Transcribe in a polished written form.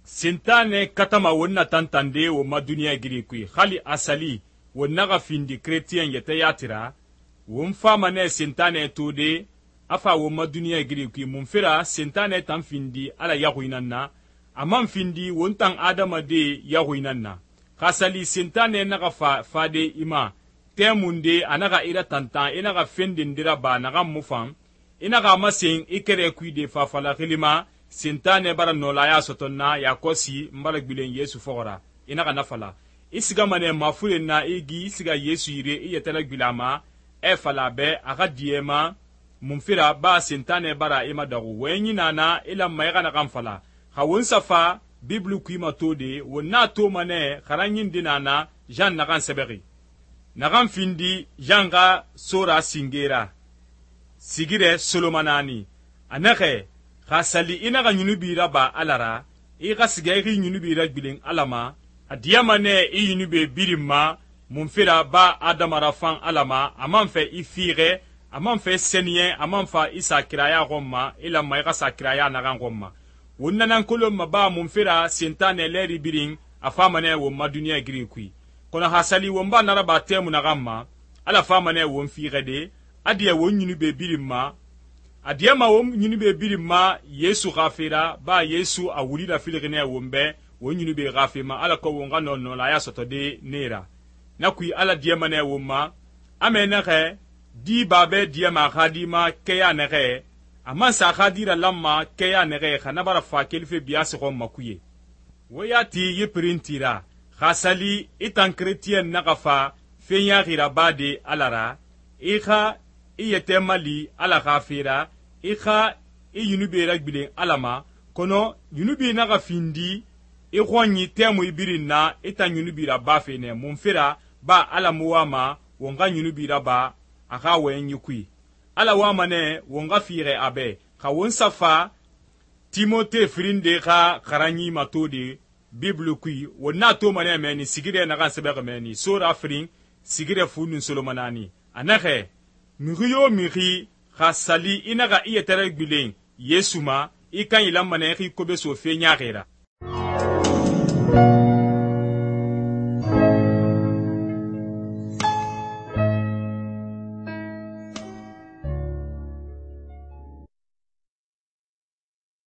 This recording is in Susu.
Sentane katama won na tantande won ma duniya giri kui hali asali won naga findi chrétien yete yatira won fama ne sentane tode afa won ma duniya giri kui mun fira sentane tan findi ala yahuinan na amman findi won tan adama de yahuinan na hasali sentane naga fade ima temunde anaga ira tantan inaga fendindira ba naga mufan inaga masen ikere kui de fafala khilima sentane bara nolaya sotonna yakosi mbala gbilen Yesu fogora inaga nafala isiga mane mafulen na igi isiga Yesu yire iyetela gbilama fala be aga diema munfira ba sentane bara ima dagu wenyi nana ila mayga na kamfala hawun safa biblu kuima tode wonna to mane kharanyin dinana jan nagan sebegi nagan findi janga sora singera sigire solomanani anake khasali inaga nyunubira ba alara iga sigeri nyunubira gbilen alama adiyamane i yunube birimma munfira ba adamara fan alama amanfe ifire amanfe senien amanfa isa kiraya gomma ila maiga sa kiraya nagan gomma wonnanan kolomma ba munfira sentane leri birin afamane wo maduniya giri kui kono hasali wonba naraba temu nagamma ala famane won figede adiya won yunube birimma adiyama won yunube birimma Yesu gafira ba Yesu awulida filgene wonbe won yunube gafima ala ko won gano no la ya sotode nera nakui ala diyama ne wonma amena ge di babe diyama khadima keya nege amma sa khadira lamma keya nege khanabara fa kelfe biase ko makuye woyati yiprintira khasali itan chrétien nagafa fenya gira bade alara ikha iyete mali ala khafira ikha iyunube ragbilen alama kono yunubi naga findi ikhonyi temu ibirina itan yunubi rabafe ne munfira ba ala muwama wonga yunubi raba aka wenyi kui ala wama ne wonga fire abe ka won safa Timote frinde ka karanyi matode biblu kui wonna to mane meni sigire naga sebege meni sora frin sigire funun solomanani anake miriyo miri khasali inaga iyetere gbilen Yesuma ikan ilamane ki kobe so fe nyaagera